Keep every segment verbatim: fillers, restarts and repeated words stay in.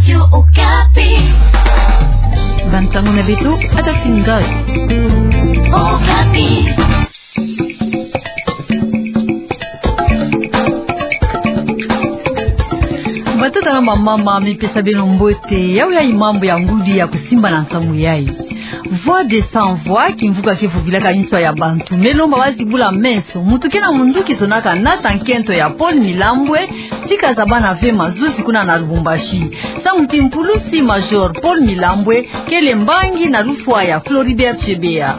Radio Okapi. Bansango na beto, Adolphine Ngoy. Okapi. Batata na bamama, mipesa beno mbote. Yawu yayi mambu ya ngudi ya kusimba na nsangu yayi. Voix des Sans Voix, kimvuka ke vovilaka inswa ya bantu me lomba bazibula meso. Muntu ke na munduki zonaka nata nkento ya Paul Milambwe, tika zabana ve mazuzi kuna na Lubumbashi. Samu ti mpulusi Major Paul Milambwe kele mbangi na lufwa ya Floribert Chebeya.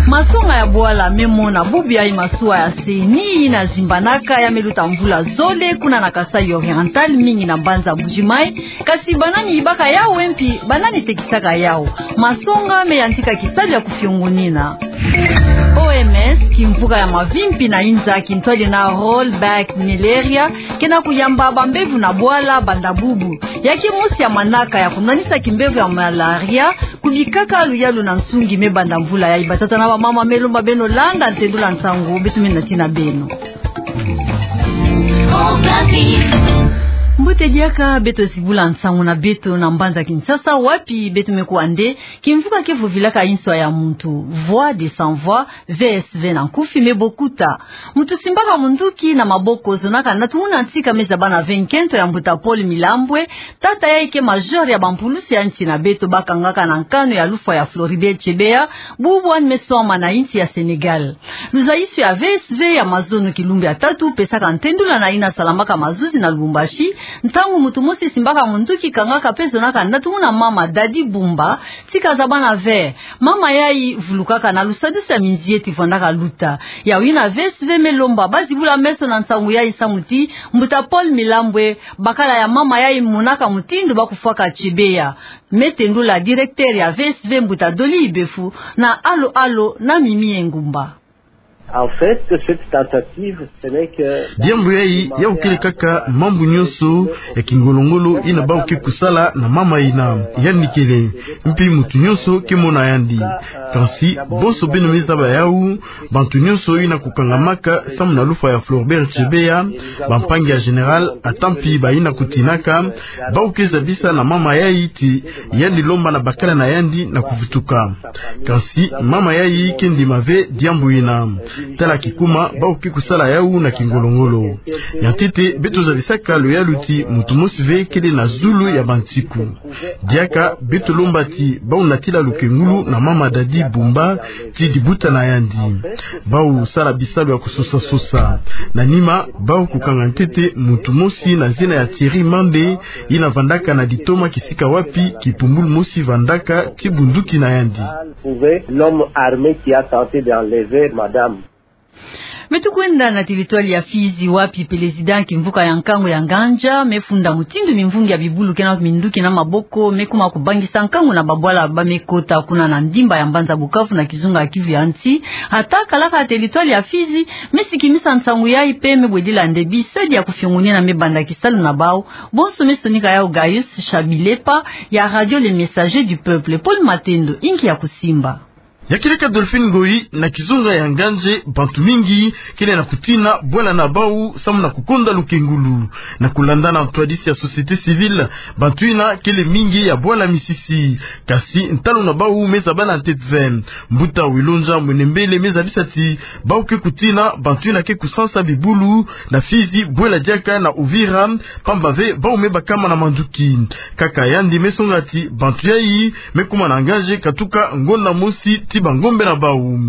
Masonga ya bwala me mona bubu yayi masuwa ya seni ina zimbanaka ya me luta mvula zole kuna na Kasaï Oriental, mingi na mbanza Mbuji-Mayi. Kasi banani yibaka yawu, mpi banani tekisaka yawu? Masonga me yantika kisalu ya kufiongonina. O M S, kimvuka ya mavimpi na inza, kintwadi na rollback malaria, ke na kuyamba bambevo na bwala banda bubu. Ya ke mosi ya manaka ya kunwanisa kimbevo ya malaria, kubikaka luyalu na nsungi me banda mvula yayi. Batata na bamama, me lomba beno landa ntendula nsangu, beto me nati na beno. Mbote diaka, beto zibula nsangu na beto na mbanza Kinshasa, wapi beto me kuwa nde kimvuka ke vovilaka inswa ya muntu, Voix des Sans Voix, V S V na nkufi, me bokuta. Muntu simbaka munduki na maboko zonaka natu muna ntika me zabana ve nkento ya mbuta Paul Milambwe, tata yayi ke major ya bampulusi ya nsi na beto bakangaka na nkanu ya lufwa ya Floribert Chebeya, bubu yandi me swama na insi ya Sénégal. Luzayisi ya V S V ya mazono kilumbu ya tatu pesaka ntendula na ina salamaka mazuzi na Lubumbashi, ntangu muntu mosi simbaka munduki kangaka pe zonaka natu muna mama Dadi Bumba, tika zabana ve mama yayi vulukaka na lusadusu ya minzieti vwandaka luta. Yawu yina V S V me lomba bazibula meso na nsangu yayi samu ti mbuta Paul Milambwe, bakala ya mama yayi monaka mutindu ba kufwaka Chebeya. Me tendula directeur ya V S V mbuta Dolly Ibefu na Allo Allo na Mimi Engumba. En fait, cette tentative, ce n'est que... Diambu yayi, yawu kele kaka mambu nyonso ya kingolongolo yina bawu ke kusala na mama yina. Yandi kele, mpi muntu nyonso ke mona yandi. Kansi bonso beno me zaba yawu, bantu nyonso yina kukangamaka samu na lufwa ya Floribert Chebeya, bampangi ya général, ata mpi bayina kutinaka, bawu ke zabisa na mama yayi ti yandi lomba na bakala na yandi na kuvutuka. Kansi mama yayi ke ndima ve diambu yina. Tala kikuma bawu ke kusala yawu na kingolongolo. Ya ntete, beto zabisaka luyalu ti muntu mosi ve kele na zulu ya bantiku. Diaka beto lomba ti bawu natila lukengulu na mama Dadi Bumba ti dibuta na yandi. Bawu sala bisalu ya kusosa-sosa. Na nima, bawu kukanga ntete muntu mosi na zina ya Thierry Mande, yina vandaka na ditoma kisika wapi kipumbulu mosi vandaka ti bunduki na yandi. Trouver l'homme armé qui a tenté d'enlever madame. Beto kwenda na territoire ya Fizi, wapi président kimvuka ya nkangu ya Ngandja me funda mutindu mimvungi ya bibulu ke na minduki na maboko me kuma kubangisa nkangu na babwala ba me kota kuna na ndimba ya mbanza Bukavu na kizunga ya Kivu ya nsi. Ata kalaka territoire ya Fizi, me sikimisa nsangu yayi pe me bwedila nde bisadi ya kufiongonina me banda kisalu na bawu. Bonso me sonika yawu Gaius Chabilepa ya Radio Le Messager du Peuple. Paul Matendo, inki ya kusimba. Ya kieleka Dolphine Ngoyi, na kizunga ya Ngandja, bantu mingi kele na kutina bwala na bawu samu na kukonda lukengulu. Na kulanda na ntwadisi ya société civile, bantu yina kele mingi ya bwala misisi. Kasi ntalu na bawu me zaba na ntete ve. Mbuta Wilonja Mwenembele me zabisa ti bawu ke kutina bantu yina ke kusansa bibulu na Fizi, bwela diaka na Uvira, pamba ve bawu me bakama na manduki. Kaka yandi me songa ti bantu yayi me kuma na Ngandja katuka ngonda mosi ti bangombe na bawu.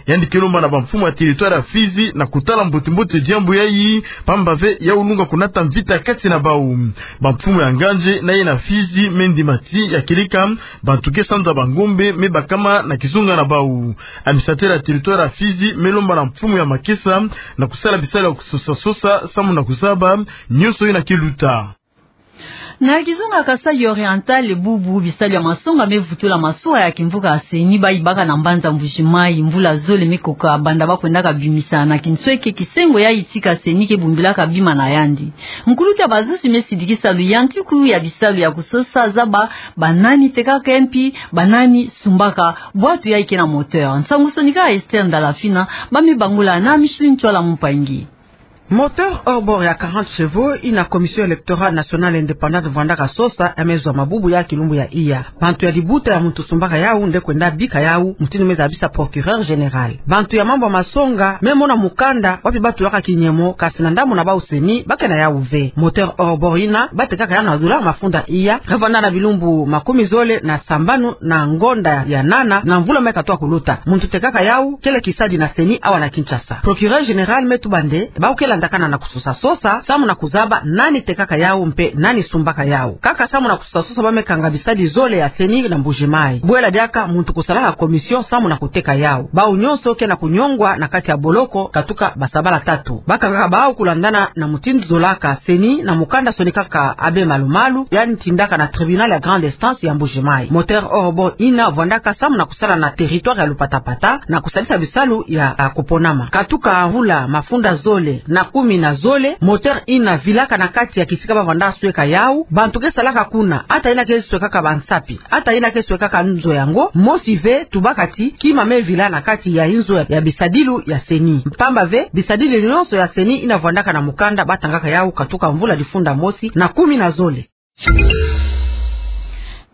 Yandi ke lomba na bamfumu ya territoire ya Fizi na kutala mbote-mbote diambu yayi, pamba ve yawu lunga kunata mvita kati na bawu. Bamfumu ya Ngandja na ye na Fizi me ndima ti ya kieleka bantu ke sanza bangombe me bakama na kizunga na bawu. Administrateur ya territoire ya Fizi me lomba na mfumu ya Makesa na kusala bisalu ya kusosa-sosa samu na kuzaba nyonso yina ke luta. Na kizunga Kasaï Oriental, bubu bisalu ya masonga me vutula masuwa ya kimvuka ya seni ba yibaka na mbanza Mbuji-Mayi. Mvula zole me koka banda ba kwendaka bimisa na kinsweke kisengo yayi tika seni ke bumbilaka bima na yandi. Nkulutu ya bazuzi me sidikisa luyantiku ya bisalu ya kusosa, zaba banani tekaka mpi banani sumbaka bwatu yayi ke na moteur. Nsangu sonika Esther Ndalafina, ba me bangula na Micheline Ntwala Mpangi. Moteur hors-bord ya quarante chevaux ina Commission Électorale Nationale Indépendante vwandaka sosa, ya me zwa mabubu ya kilumbu ya iya. Bantu ya libuta ya muntu sumbaka yau nde kwenda bika yau, mutindu me zabisa Procureur Général. Bantu ya mambu ya masonga me mona mukanda wapi ba tulaka kinyemo, kasi na ndambu na bau CENI ba ke na yau ve. Moteur hors-bord ina ba tekaka yau na zula mafunda iya, nge vwanda na bilumbu makumi zole na sambanu na ngonda ya nana na mvula me katuka kuluta. Muntu tekaka yau kele kisadi na CENI awa na Kinshasa. Procureur Général me tuba nde bau ke landakana na kusosa sosa samu na kuzaba nani tekaka yau mpe nani sumbaka yau. Kaka samu na kusosa sosa ba me kanga bisadi zole ya CENI na Mbuji-Mayi. Bwela diaka muntu kusalaka commission samu na kuteka yau. Bau nyonso ke na kunyongwa na kati ya boloko katuka basabala tatu. Ba kangaka bau kulandana na mutindu zolaka CENI na mukanda sonikaka Abbé Malu-Malu, yandi tindaka na tribunal ya grande instance ya Mbuji-Mayi. Moteur hors-bord ina vwandaka samu na kusala na territoire ya Lupatapata na kusalisa bisalu ya, ya kuponama. Katuka mvula mafunda zole na kumi na zole, moteur ina vilaka na kati ya kisika ba vwanda sweka yau. Bantu ke salaka kuna, ata ina ke swekaka bansapi, ata ina ke swekaka nzo yango, mosi ve tubaka ti kima me vila na kati ya inzo ya, ya bisadilu ya CENI. Mpamba ve, bisadilu nyonso ya CENI ina vwandaka na mukanda ba tangaka yau katuka mvula difunda mosi na kumi na zole.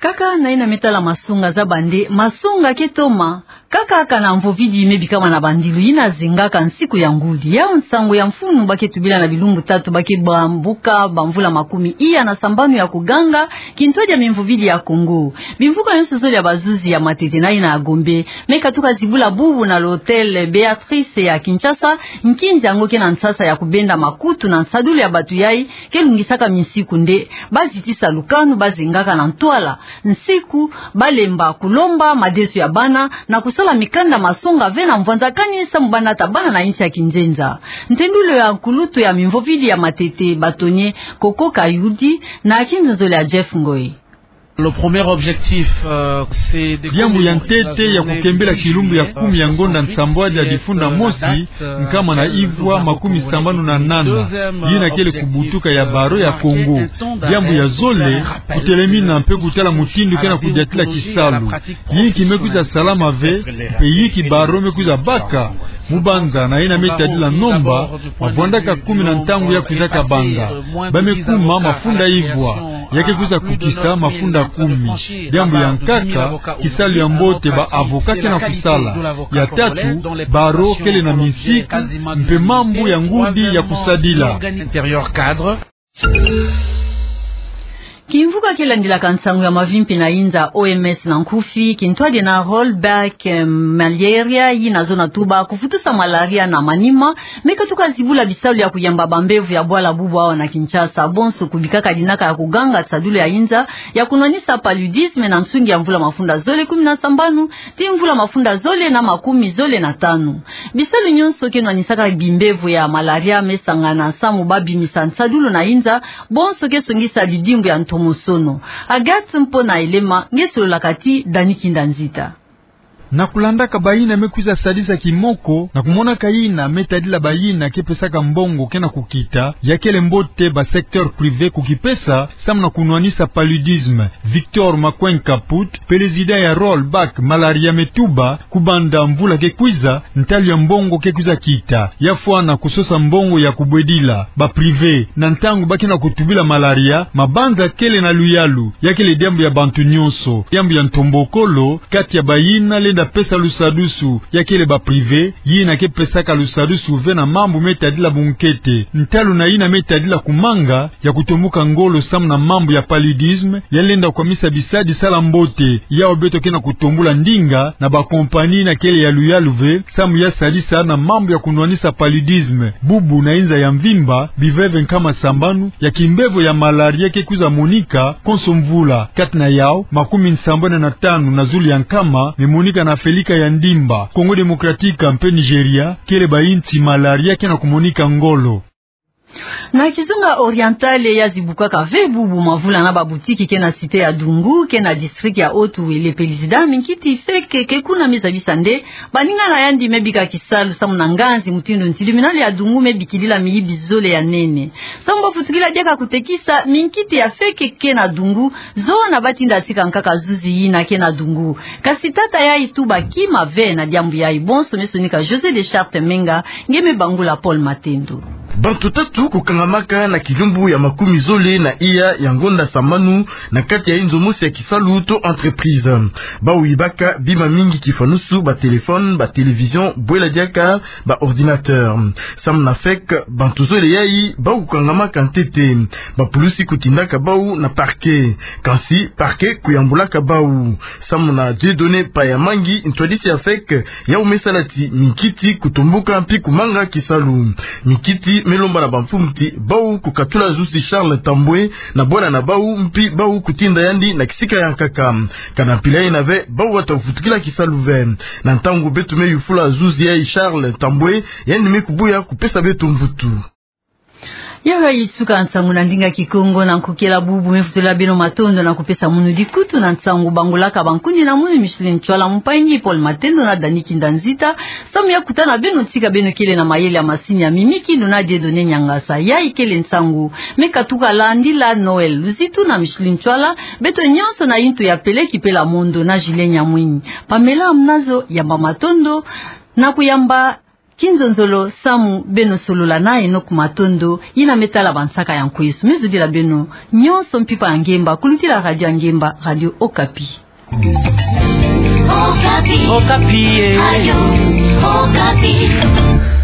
Kaka na ina me tala masonga, zaba nde masonga ke toma kaka kana mvovidi me bikama na bandilu ina zengaka nsiku ya ngudi. Yau nsangu ya mfunu ba ke tubila na bilumbu tatu ba ke bambuka bamvula makumi iya na sambanu ya kuganga kintwadi ya mimvovidi ya Kongo. Bimvuka nyonso zole ya bazuzi ya matete na ina ya Gombe me katuka zibula bubu na l'hôtel Béatrice ya Kinshasa. Nkinzi yango ke na nsasa ya kubenda makutu na nsadulu ya batu yai ke lungisaka minsiku nde ba zitisa lukanu, ba zengaka na ntwala nsiku, ba lemba kulomba madesu ya bana na kusala mikanda masonga ve na mvwanzakani samu ba nata bana na insi ya kinzenza. Ntendulu ya nkulutu ya mimvovidi ya matete, bâtonnier Koko Kayudi, na kinzonzolo ya Jeff Ngoy. Le premier objectif, euh, c'est de... Diambu ya ntete ya kukembela kilumbu ya kumi ya ngonda nsambwadi ya difunda mosi, nkama na ivwa makumi sambanu na nana, yina kele kubutuka ya baro ya Kongo. Diambu ya zole, kutelemina mpe kutala mutindu ke na kudiatila kisalu. Yinki me kwiza salama ve, mpe yinki baro me kwiza baka. Mubanza na yina me tadila nomba, mavwandaka kumi na ntangu ya kwizaka banga, ba me kuma mafunda ivwa, ya ke kwiza kukisa mafunda kumi. Diambu ya nkaka, kisalu ya mbote ba avocat ke na kusala. Ya tatu, baro kele na minsiku, mpe mambu ya ngudi ya kusadila. Kimvuka ke landilaka nsangu ya mavimpi na inza, O M S na nkufi, kintwadi na rollback, eh, malaria, yina zona tuba kuvutusa malaria na manima, me katuka zibula bisalu ya kuyamba bambevo ya bwala bubu awa na Kinshasa. Bonso kubikaka dinaka ya kuganga nsadulu ya inza ya kunwanisa paludisme na nsungi ya mvula mafunda zole kumi na sambanu ti mvula mafunda zole na makumi zole na tanu. Bisalu nyonso ke nwanisaka bimbevo ya malaria me sangana samu ba bimisa nsadulu na inza, bonso ke songisa bidimbu ya ntomosono. Agathe Mpona Elema, nge sololaka ti Dani Kinda Nzita. Na kulandaka bayina me kwiza sadisa kimoko, na kumonaka yina me tadila bayina ke pesaka mbongo ke na kukita, ya kele mbote ba secteur privé kukipesa, samu na kunwanisa paludisme. Victor Makweny Kaput, président ya Rollback Malaria me tuba, kubanda mvula ke kwiza, ntalu ya mbongo ke kwiza kita. Ya fwana kusosa mbongo ya kubwedila ba privé, na ntangu ba ke na kutubila malaria, mabanza kele na luyalu, ya kele diambu ya bantu nyonso, diambu ya ntombokolo, kati ya bayina lenda pesa lusadusu, ya kele ba privé, yina ke pesaka lusadusu ve na mambu me tadila bunkete. Ntalu na yina me tadila kumanga, ya kutombuka ngolo samu na mambu ya paludisme, ya lenda kwamisa bisadi sala mbote, yawu beto ke na kutombula ndinga na ba compagnie yina kele ya luyalu ve, samu ya sadisa na mambu ya kunwanisa paludisme. Bubu na inza ya mvimba, biveve nkama sambanu ya kimbevo ya malaria ke kwiza monika, konso mvula. Kati na yawu, makumi nsambanu na tanu na zulu ya nkama me monika na Afelika ya Ndimba, Congo Démocratique mpe Nigeria, kele bayinsi malaria ke na kumonika ngolo. Na kizunga Oriental ya zibukaka ve bubu mavula na ba boutique ke na cité ya Dungu, ke na district ya Haut-Uélé, président minkiti feke ke kuna me zabisa nde baninga na yandi me bika kisalu samu na nganzi mutindu nsi tribunal ya Dungu me bikidila miyibi zole ya nene. Samu ba futukila diaka kutekisa, minkiti ya feke ke na Dungu, zona ba tinda tika nkaka zuzi yina ke na Dungu. Kasi tata yayi tuba kima ve na diambu yayi. Bonso me sonika José de Charte Menga, nge me bangula Paul Matendo. Bantu tatu kukangamaka na kilumbu ya makumi zole na iya ya ngonda sambanu na kati ya inzo mosi ya kisalu to entreprise. Bau yibaka bima mingi kifanusu, ba téléphone, ba télévision, bwela diaka, ba ordinateur. Samu na feke bantu zole yayi bau kukangamaka ntete, bapulusi kutindaka bau na parquet. Kansi parquet kuyambulaka bau. Samu na Dieudonné Payamangi, ntwadisi ya feke yau me sala ti mikiti kutomboka mpi kumanga kisalu. Mikiti me lomba na bamfumu ti bau kukatula zuzi Charles Tambwe na bwala na bau mpi bau kutinda yandi na kisika ya nkaka. Kana mpila yina ve bau wata kufutukila kisalu ve. Na ntangu beto me yufula zuzi yayi Charles Tambwe, yandi me kubuya kupesa beto mvutu. Yayi tuka nsangu na ndinga Kikongo, na nkokila bubu me vutula beno matondo na kupesa munu dikutu na nsangu bangolaka bankundi na munu Micheline Ntsoala, mpangi Paul Matendo na Dani Kinda Nzita. Samu ya kutana beno, tika beno kele na mayele ya masini ya mimiki, nuna Dieudonné Niangasa. Yayi kele nsangu me katuka landila Noël Luzitu na Micheline Ntsoala, beto nyonso na intu ya pele kipela mondo na Julien Nyamwini. Pamela Mnazo, yamba matondo na kuyamba Kinzonzolo samu beno solola na eno ku matondo yina me tala bansaka ya nkwesu. Me zudila beno nyonso mpimpa ya ngemba kulutila radio ya ngemba, Radio Okapi. Okapi. Okapi, eh. Radio Okapi.